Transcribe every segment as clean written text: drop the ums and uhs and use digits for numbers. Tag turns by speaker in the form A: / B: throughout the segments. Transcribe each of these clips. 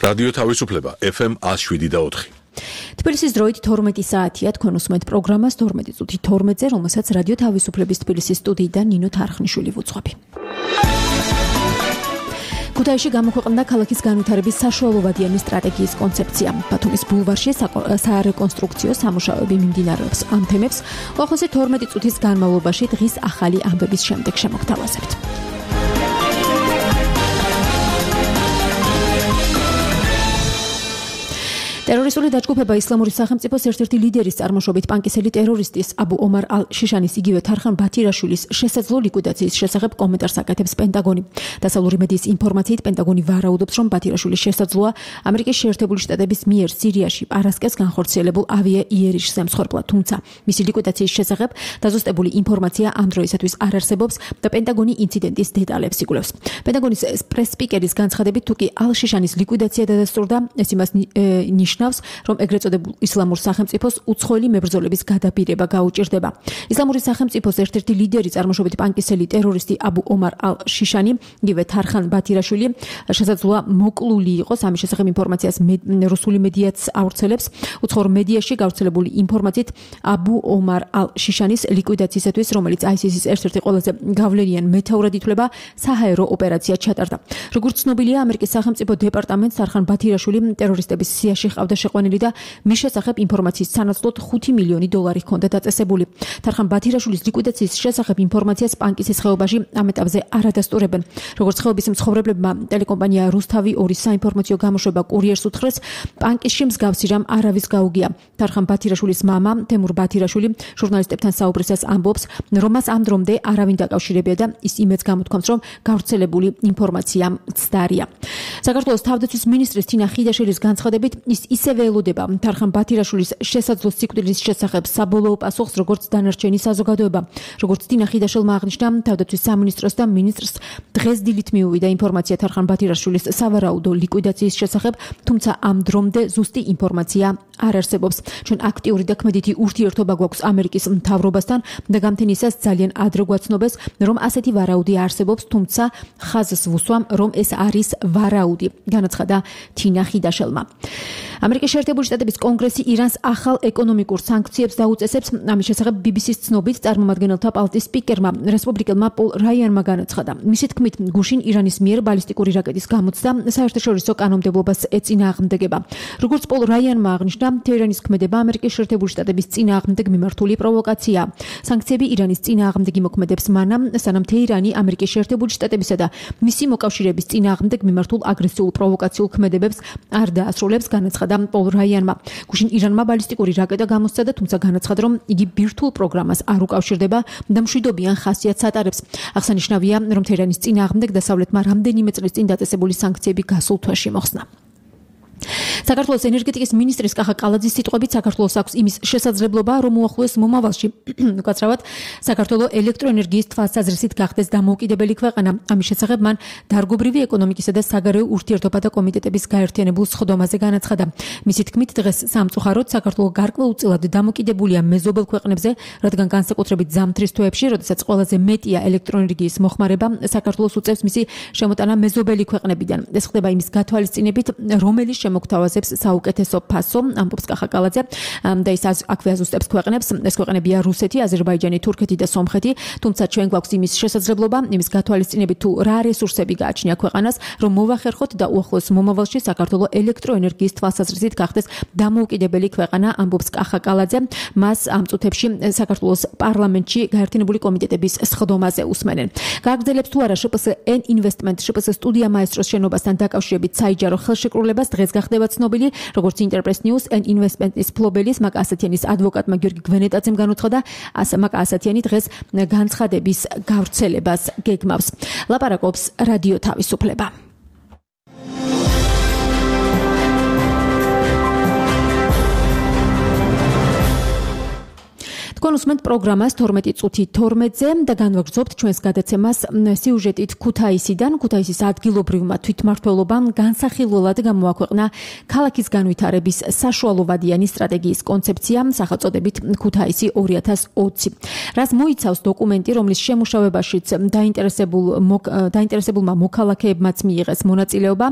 A: რადიო თავისუფლება FM 107.4.
B: თბილისის დროით 12 საათია თქვენ უსმენთ პროგრამას 12 წუთი 12-ზე, რომელსაც რადიო თავისუფლების თბილისის სტუდიიდან ნინო თარხნიშვილი ვუძღვები. ქუთაისში გამოქვეყნდა ქალაქის განვითარების საშუალოვადიანი სტრატეგიის კონცეფცია. ბათუმის ბულვარში საარეკონსტრუქციო სამუშაოები მიმდინარეობს. ამ თემებს უახლოესი 12 წუთის განმავლობაში დღის ახალი ამბების შემდეგ შემოგთავაზებთ. ტერორისტული დაჯგუფება ისლამური სახელმწიფოს ერთ-ერთი ლიდერის წარმოშობით პანკისელი ტერორისტის აბუ ომარ ალ-შიშანის იგივე თარხან ბათირაშვილის შესაძლო ლიკვიდაციის შესახებ კომენტარს აკეთებს პენტაგონი. დასავლური მედიის ინფორმაციით პენტაგონი ვარაუდობს, რომ ბათირაშვილის შესაძლოა ამერიკის შეერთებული შტატების მიერ სირიაში პარასკევს განხორციელებულ ავიაიერიშს ემსხვერპლა, თუმცა მისი ლიკვიდაციის შესახებ დაზუსტებული ინფორმაცია ამ დროისათვის არ არსებობს და პენტაგონი ინციდენტის დეტალებს იკვლევს. პენტაგონის პრეს-სპიკერის განცხადებით, თუ კი ალ-შიშანის ლიკვიდაცია დადასტურდა, ეს იმას ნიშნავს, რომ ეგრეთ წოდებულ ისლამურ სახელმწიფოს უცხოელი მებრძოლების გადაბირება გაუჭირდება. ისლამური სახელმწიფოს ერთ-ერთი ლიდერი წარმოშობით პანკისელი ტერორისტი აბუ ომარ ალ-შიშანი, იგივე თარხან ბათირაშვილი, შესაძლოა მოკლული იყოს. ამის შესახებ ინფორმაციას რუსული მედიაც ავრცელებს. უცხოურ მედიაში გავრცელებული ინფორმაციით აბუ ომარ ალ-შიშანის ლიკვიდაციისათვის, რომელიც ISIS-ის ერთ-ერთი ყველაზე გავლენიან მეთაურად ითვლება, საჰაერო ოპერაცია ჩატარდა. როგორც ცნობილია, ამერიკის სახელმწიფო დეპარტამენტს თარხან ბათირაშვილი ტერორისტების სიაში ყავდა შეყვანილი და მის შესახებ ინფორმაციის სანაცვლოდ $5 მილიონი ჰქონდა დაწესებული. თარხან ბათირაშვილის ლიკვიდაციის შესახებ ინფორმაციას პანკისის ხეობაში ამ ეტაპზე არ ადასტურებენ. როგორც ხეობის მცხოვრებლებმა ტელეკომპანია რუსთავი 2 საინფორმაციო გამოშვება კურიერს უთხრეს, პანკისში მსგავსი რამ არავის გაუგია. თარხან ბათირაშვილის მამა თემურ ბათირაშვილი ჟურნალისტებთან საუბრისას ამბობს, რომ მას ამ დრომდე არავინ დაკავშირებია და ის იმედს გამოთქვამს, რომ გავრცელებული ინფორმაცია მცდარია. საქართველოს თავდაცვის მინისტრის თინა ხიდაშელის განცხადებით, ის ისევე ელოდება თარხან ბათირაშვილის შესაძლო სიკვდილის შესახებ საბოლოო პასუხს, როგორც დანარჩენი საზოგადოება. როგორც თინა ხიდაშელმა აღნიშნა, თავდაცვის სამინისტროს და მინისტრს დღეს დილით მიუვიდა ინფორმაცია თარხან ბათირაშვილის სავარაუდო ლიკვიდაციის შესახებ, თუმცა ამ დრომდე ზუსტი ინფორმაცია არ არსებობს. ჩვენ აქტიური და ქმედითი ურთიერთობა გვაქვს ამერიკის მთავრობასთან და გამთენისას ძალიან ადრე გვაცნობეს, რომ ასეთი ვარაუდი არსებობს, თუმცა ხაზს ვუსვამ, რომ ეს არის ვარაუდი, განაცხადა თინა ხიდაშელმა. ამერიკის შეერთებული შტატების კონგრესი ირანს ახალ ეკონომიკურ სანქციებს დაუწესებს. ამის შესახებ BBC-ს ცნობით წარმომადგენელთა პალატის სპიკერმა რესპუბლიკელმა პოლ რაიანმა განაცხადა. მისი თქმით, გუშინ ირანის მიერ ბალისტიკური რაკეტის გამოცდა საერთაშორისო კანონმდებლობას ეწინააღმდეგება. როგორც პოლ რაიანმა აღნიშნა, თეირანის ქმედება ამერიკის შეერთებული შტატების წინააღმდეგ მიმართული პროვოკაციაა. სანქციები ირანის წინააღმდეგი მოქმედებს მანამ, სანამ თეირანი ამერიკის შეერთებული შტატებისა და მისი მოკავშირეების წინააღმდეგ მიმართულ აგრესიულ პროვოკაციულ ქმედებებს არ დაასრულებს, განაცხადა პოლ რაიანმა. გუშინ ირანმა ბალისტიკური რაკეტა გამოსცა, თუმცა განაცხადა, რომ იგი ბირთვულ პროგრამას არ უკავშირდება და მშვიდობიან ხასიათს ატარებს. აღსანიშნავია, რომ თეირანის წინააღმდეგ დასავლეთმა რამდენიმე წლის წინ დაწესებული სანქციები გასულ თვეში მოხსნა. საქართველოს ენერგეტიკის მინისტრის კახა კალაძის სიტყვებით, საქართველოს აქვს იმის შესაძლებლობა, რომ უახლოეს მომავალში უკაცრავად საქართველოს ელექტროენერგიის თვალსაზრისით გახდეს დამოუკიდებელი ქვეყანა. ამის შესახებ მან დარგობრივი ეკონომიკისა და საგარეო ურთიერთობათა კომიტეტების გაერთიანებულ სხდომაზე განაცხადა. მისი თქმით, დღეს სამწუხაროდ საქართველოს გარკვეულწილად დამოკიდებულია მეზობელ ქვეყნებზე, რადგან განსაკუთრებით ზამთრის თვეებში, როდესაც ყველაზე მეტია ელექტროენერგიის მოხმარება, საქართველოს უწევს მისი შემოტანა მეზობელი ქვეყნებიდან. ეს ხდება იმის გათვალისწინებით, რომელიც შემოგთავაზებს საუკეთესო ფასო, ამბობს კახა კალაძე, და ის აქვე აზუსტებს ქვეყნებს. ეს ქვეყნებია რუსეთი, აზერბაიჯანი, თურქეთი და სომხეთი, თუმცა ჩვენ გვაქვს იმის შესაძლებლობა, იმის გათვალისწინებით, თუ რა რესურსები გააჩნია ქვეყანას, რომ მოვახერხოთ და უახლოეს მომავალში საქართველოს ელექტროენერგიის თვალსაზრისით გახდეს დამოუკიდებელი ქვეყანა, ამბობს კახა კალაძე. მას ამ წუთებში საქართველოს პარლამენტში გაერთიანებული კომიტეტების სხდომაზე უსმენენ. გააგრძელებს თუ არა შპს N Investment შპს სტუდია მაესტროს შენობასთან დაკავშირებით საიჯარო ხელშეკრულებას, დღეს გახდება ცნობილი, როგორც Interpress News N Investment-ის ფლობელის მაკა ასათიანის ადვოკატმა გიორგი გვენეტაძემ განუცხადა, მაკა ასათიანი დღეს განცხადების გავრცელებას გეგმავს. ლაპარაკობს რადიო თავისუფლება. თქვენ უსმენთ პროგრამას 12 წუთი 12-ზე და განვაგრძობთ ჩვენს გადაცემას სიუჟეტით ქუთაისიდან. ქუთაისის ადგილობრივმა თვითმმართველობამ განსახილველად გამოაქვეყნა ქალაქის განვითარების საშუალოვადიანი სტრატეგიის კონცეფცია სახელწოდებით ქუთაისი 2020. რას მოიცავს დოკუმენტი, რომლის შემუშავებაშიც დაინტერესებულმა მოქალაქეებმაც მიიღეს მონაწილეობა,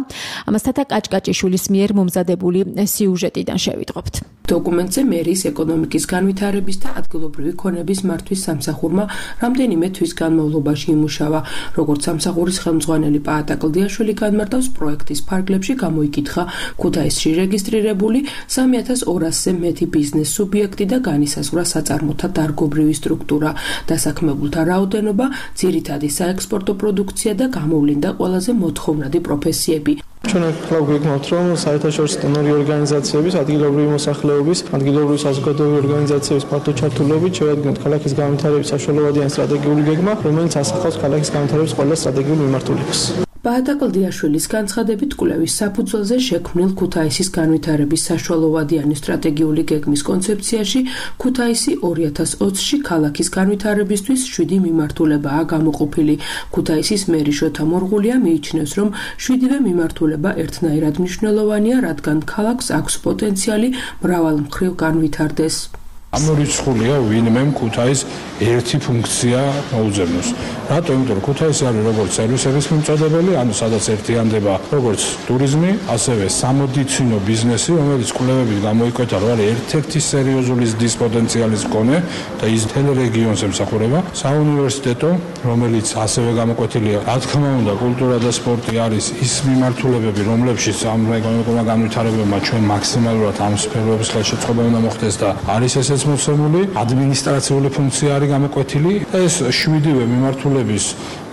B: ამას თათა კაჭკაჭიშვილის მიერ მომზადებული სიუჟეტიდან შევიტყობთ.
C: დოკუმენტზე მერის ეკონომიკის განვითარების და ადგილობრივი ქონების მართვის სამსახურმა რამდენიმე თვის განმავლობაში იმუშავა. როგორც სამსახურის ხელმძღვანელი პაატა კლდიაშვილი განმარტავს, პროექტის ფარგლებში გამოიკითხა ქუთაისში რეგისტრირებული 3200-ზე მეტი ბიზნეს სუბიექტი და განისაზღვრა საწარმოთა დარგობრივი სტრუქტურა, დასაქმებულთა რაოდენობა, ძირითადი საექსპორტო პროდუქცია და გამოვლინდა ყველაზე მოთხოვნადი პროფესიები.
D: ჩვენ გვგეგმავთ, რომ საერთაშორისო დონორი ორგანიზაციების, ადგილობრივი მოსახლეობის, ადგილობრივი საზოგადოებრივი ორგანიზაციების ფართო ჩართულობით შევადგენთ ქალაქის განვითარების საშუალოვადიანი სტრატეგიული გეგმა, რომელიც ასახავს ქალაქის განვითარების ყველა სტრატეგიულ მიმართულებას.
C: პაატა კლდიაშვილის განცხადებით, კვლევის საფუძველზე შექმნილ ქუთაისის განვითარების საშუალოვადიანი სტრატეგიული გეგმის კონცეფციაში ქუთაისი 2020-ში ქალაქის განვითარებისთვის 7 მიმართულებაა გამოყოფილი. ქუთაისის მერი შოთა მორღულია მიიჩნევს, რომ 7-ვე მიმართულება ერთნაირად მნიშვნელოვანია, რადგან ქალაქს აქვს პოტენციალი მრავალმხრივ განვითარდეს.
E: ამორიცხულია ვინმე ქუთაის ერთი ფუნქცია მოუძებნოს. რატო? იმიტომ რომ ქუთაისი არის როგორც სერვისების მიმწოდებელი, ანუ სადაც ერთიანდება როგორც ტურიზმი, ასევე სამედიცინო ბიზნესი, რომელიც კვლევებით გამოიკვეთა, რომ არის ერთ-ერთი სერიოზული ზრდის პოტენციალის მქონე და ის მთელ რეგიონს ემსახურება. საუნივერსიტეტო, რომელიც ასევე გამოკვეთილია, რა თქმა უნდა, კულტურა და სპორტი არის ის მიმართულებები, რომლებშიც ამ ეკონომიკურმა განვითარებებმა ჩვენ მაქსიმალურად ამ სფეროების ხელშეწყობა უნდა მოხდეს და არის ესეც მოცემული, ადმინისტრაციული ფუნქცია არის გამოკვეთილი. ეს 7-ვე მიმართულების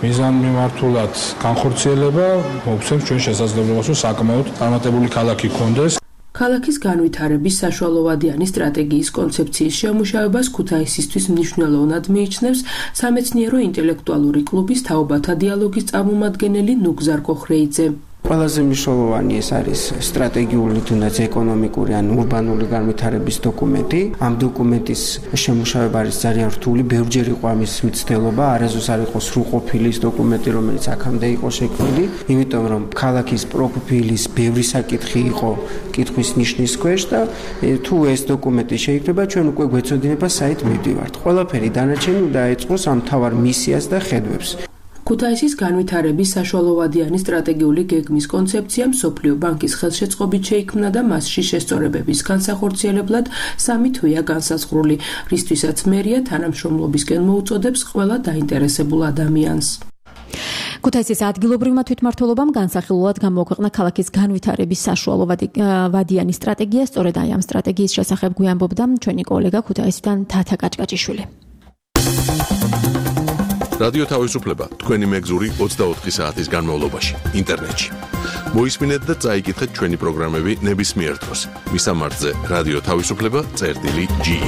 E: მიზანმიმართულად განხორციელება მოგცემს ჩვენ შესაძლებლობას, რომ საკმაოდ წარმატებული ქალაქი გქონდეს.
C: ქალაქის განვითარების საშუალოვადიანი სტრატეგიის კონცეფციის შემუშავებას ქუთაისისთვის მნიშვნელოვნად მიიჩნევს სამეცნიერო ინტელექტუალური კლუბის თაობათა დიალოგის წარმომადგენელი ნუგზარ კოხრეიძე.
F: ყველაზე მნიშვნელოვანი ეს არის სტრატეგიული თუნდაც ეკონომიკური ან ურბანული განვითარების დოკუმენტი. ამ დოკუმენტის შემუშავება არის ძალიან რთული, ბევრჯერ იყო ამის მცდელობა, არასდროს არ იყო სრულყოფილი ის დოკუმენტი, რომელიც აქამდე იყო შექმნილი, იმიტომ რომ ქალაქის პროფილის ბევრი საკითხი იყო კითხვის ნიშნის ქვეშ და თუ ეს დოკუმენტი შეიქმნება, ჩვენ უკვე გვეცოდინება საით მივდივართ. ყველაფერი დანარჩენი უნდა ეწყოს ამ მთავარ მისიას და ხედვებს.
C: ქუთაისის განვითარების საშუალოვადიანი სტრატეგიული გეგმის კონცეფცია მსოფლიო ბანკის ხელშეწყობით შეიქმნა და მასში შესწორებების განსახორციელებლად 3 თვეა განსაზღვრული, რისთვისაც მერია თანამშრომლობისკენ მოუწოდებს ყველა დაინტერესებულ ადამიანს.
B: ქუთაისის ადგილობრივმა თვითმმართველობამ განსახილველად გამოაქვეყნა ქალაქის განვითარების საშუალოვადიანი სტრატეგია. სწორედ აი ამ სტრატეგიის შესახებ გვიამბობდა ჩვენი კოლეგა ქუთაისიდან თათა კაჭკაჭიშვილი.
A: რადიო თავისუფლება თქვენი მეგზური 24 საათის განმავლობაში ინტერნეტში. მოისმინეთ და წაიკითხეთ ჩვენი პროგრამები ნებისმიერ დროს. მისამართზე რადიო თავისუფლება.ge.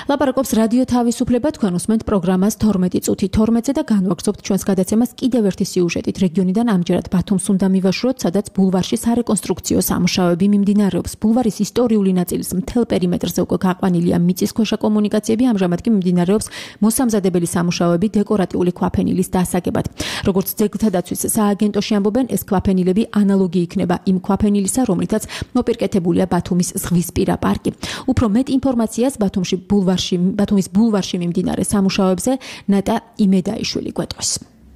B: ლაპარაკობს რადიო თავისუფლება, თქვენ უსმენთ პროგრამას 12 წუთი 12-ზე და განვაგრძობთ ჩვენს გადაცემას კიდევ ერთი სიუჟეტით რეგიონიდან, ამჯერად ბათუმს უნდა მივაშუროთ, სადაც ბულვარში სარეკონსტრუქციო სამუშაოები მიმდინარეობს. ბულვარის ისტორიული ნაწილის მთელ პერიმეტრზე უკვე გაყვანილია მიწისქვეშა კომუნიკაციები, ამჟამად კი მიმდინარეობს მოსამზადებელი სამუშაოები დეკორატიული ქვაფენილის დასაგებად. როგორც ძეგლთა დაცვის სააგენტოში ამბობენ, ეს ქვაფენილები ანალოგი იქნება იმ ქვაფენილისა, რომლითაც მოპირკეთებულია ბათუმის ზღვისპირა პარკი. უფრო მეტ ინფორმაციას ბათუმის ბულვარში მიმდინარე სამუშაოებზე ნატა იმედაიშვილი გვეტყვის.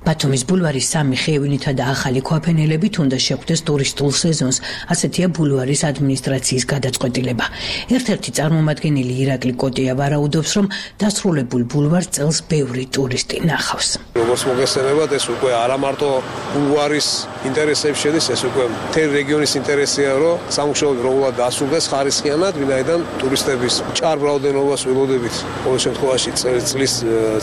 G: ბათუმის ბულვარის 3 ხეივნითა და ახალი ქვაფენილებით უნდა შეხვდეს ტურისტულ სეზონს, ასეთია ბულვარის ადმინისტრაციის გადაწყვეტილება. ერთ-ერთი წარმომადგენელი ირაკლი კოტია ვარაუდობს, რომ დასრულებულ ბულვარს წელს ბევრი ტურისტი ნახავს.
H: როგორც მოგესწრებათ, ეს უკვე არა მარტო ბულვარის ინტერესებში შედის, ეს უკვე მთელი რეგიონის ინტერესია, რომ სამუშაოები როგორად დასრულდეს ხარისხიანად, ვინაიდან ტურისტების მჭარ რაოდენობას ველოდებით ყოველ შემთხვევაში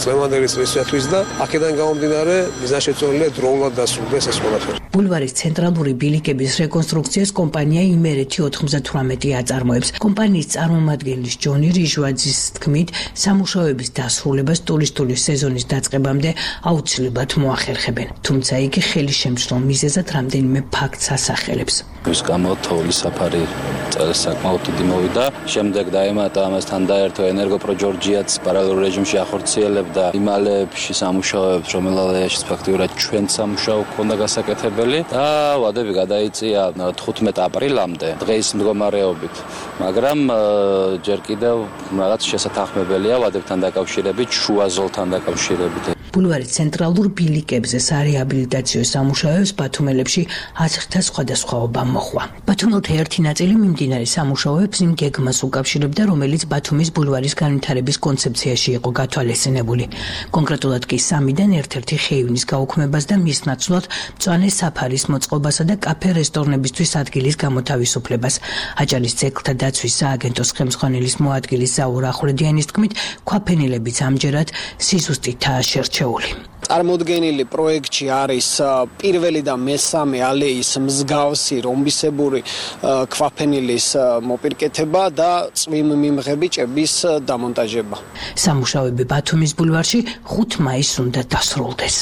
H: წლევანდელი წლისათვის და აქედან გამომდინარე მიზანშეწონილია დროულად დასრულდეს ეს ყველაფერი.
G: ბულვარის ცენტრალური ბილიკების რეკონსტრუქციას კომპანია იმერეთი 98 აწარმოებს. კომპანიის წარმომადგენლის ჯონი რიჟვაძის თქმით, სამუშაოების დასრულებას ტურისტული სეზონის დაწყებამდე აუცილებლად მოახერხებენ. თუმცა იგი ხელისშემწყლ მიზეზად რამდენიმე ფაქტს ასახელებს.
I: ის გამო თოვლის საფარი წელს საკმაოდ დიდი მოვიდა. შემდეგ დაემატა ამასთან დაერთო ენერგოპრო ჯორჯიაც პარალელურ რეჟიმში ახორციელებდა იმალებში სამუშაოებს, რომელშიც ფაქტიურად ჩვენ სამუშაო ქონდა გასაკეთებელი და ვადები გადაიწია 15 აპრილამდე დღის მდგომარეობით. მაგრამ ჯერ კიდევ რაღაც შესათანხმებელია ვადებთან დაკავშირებით, შუა ზოლთან დაკავშირებით.
G: ბულვარის ცენტრალურ ბილიკებზე სარეაბილიტაციო სამუშაოებს ბათუმელებში 1000-თა სხვადასხვაობა მოხვა. ბათუმელთა ერთი ნაწილი მიმდინარე სამუშაოებს იმ გეგმას უკავშირებდა, რომელიც ბათუმის ბულვარის განვითარების კონცეფციაში იყო გათვალისწინებული. კონკრეტულად კი 3-დან ერთ-ერთი ხეივნის გაუქმებას და მის ნაცვლად მწვანე საფარის მოწყობასა და კაფე-რესტორნებისთვის ადგილის გამოთავისუფლებას. აჭარის ძეგლთა დაცვის სააგენტოს ხელმძღვანელის მოადგილის ზაურ ახვლედიანის თქმით, ქვაფენილებიც ამჯერად სიზუსტითაა შერჩეული.
J: წარმოდგენილი პროექტში არის პირველი და მესამე ალეის მსგავსი რომბისებური ქვაფენილის მოპირკეთება და წვიმმიმღები ჭების დამონტაჟება.
G: სამუშაოები ბათუმის ბულვარში 5 მაისს უნდა დასრულდეს.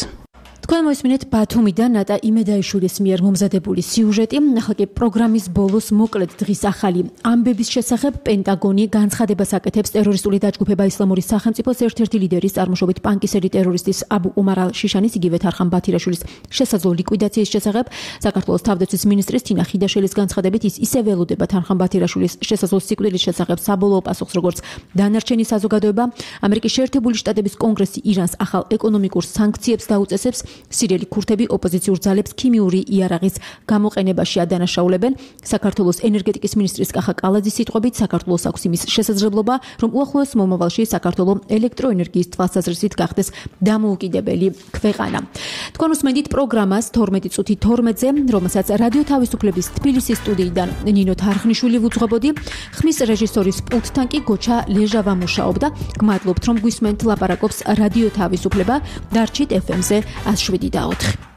B: თქვენ მოისმინეთ ბათუმიდან ნატა იმედაიშვილის მიერ მომზადებული სიუჟეტი. ახლა კი პროგრამის ბოლოს მოკლედ დღის ახალი ამბების შესახებ პენტაგონი განცხადებას აკეთებს ტერორისტული დაჯგუფება ისლამური სახელმწიფოს ერთ-ერთი ლიდერის წარმოშობით პანკისელი ტერორისტის აბუ ომარ ალ-შიშანის იგივე თარხან ბათირაშვილის შესაძლო ლიკვიდაციის შესახებ. საქართველოს თავდაცვის მინისტრის თინა ხიდაშელის განცხადებით ის ისე ველოდება თარხან ბათირაშვილის შესაძლო სიკვდილის შესახებ საბოლოო პასუხს, როგორც დანარჩენი საზოგადოება. ამერიკის შეერთებული შტატების კონგრესი ირანს ახალ ეკონომიკურ სანქციებს დაუწესებს. სირიელი ქურთები ოპოზიციურ ძალებს ქიმიური იარაღის გამოყენებაში ადანაშაულებენ. საქართველოს ენერგეტიკის მინისტრის კახა კალაძის სიტყვებით, საქართველოს აქვს იმის შესაძლებლობა, რომ უახლოეს მომავალში საქართველო ელექტროენერგიის თვალსაზრისით გახდეს დამოუკიდებელი ქვეყანა. თქვენ უსმენთ პროგრამას 12 წუთი 12-ზე, რომელსაც რადიო თავისუფლების თბილისის სტუდიიდან ნინო თარხნიშვილი ვუძღვებოდი. ხმის რეჟისორის პულტთან კი გოჩა ლეჟავა მუშაობდა. გმადლობთ, რომ გვისმენთ ლაპარაკობს რადიო თავისუფლება. დარჩით FM-ზე 107.4.